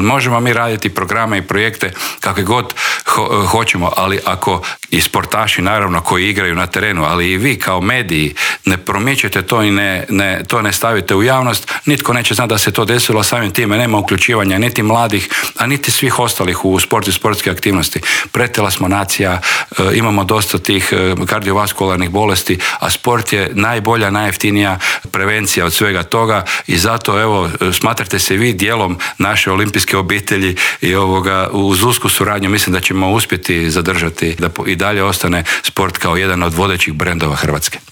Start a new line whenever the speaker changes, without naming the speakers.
Možemo mi raditi programe i projekte kakve god hoćemo, ali ako i sportaši naravno koji igraju na terenu, ali i vi kao mediji ne promičete to i to ne stavite u javnost, nitko neće znati da se to desilo, samim time nema uključivanja niti mladih, a niti svih ostalih u sportu i sportske aktivnosti. Pretila smo nacija, imamo dosta tih kardiovaskularnih bolesti, a sport je najbolja, najjeftinija prevencija od svega toga i zato evo smatrate se vi dijelom naše olimpijske obitelji i uz usku suradnju mislim da ćemo uspjeti zadržati da i dalje ostane sport kao jedan od vodećih brendova Hrvatske.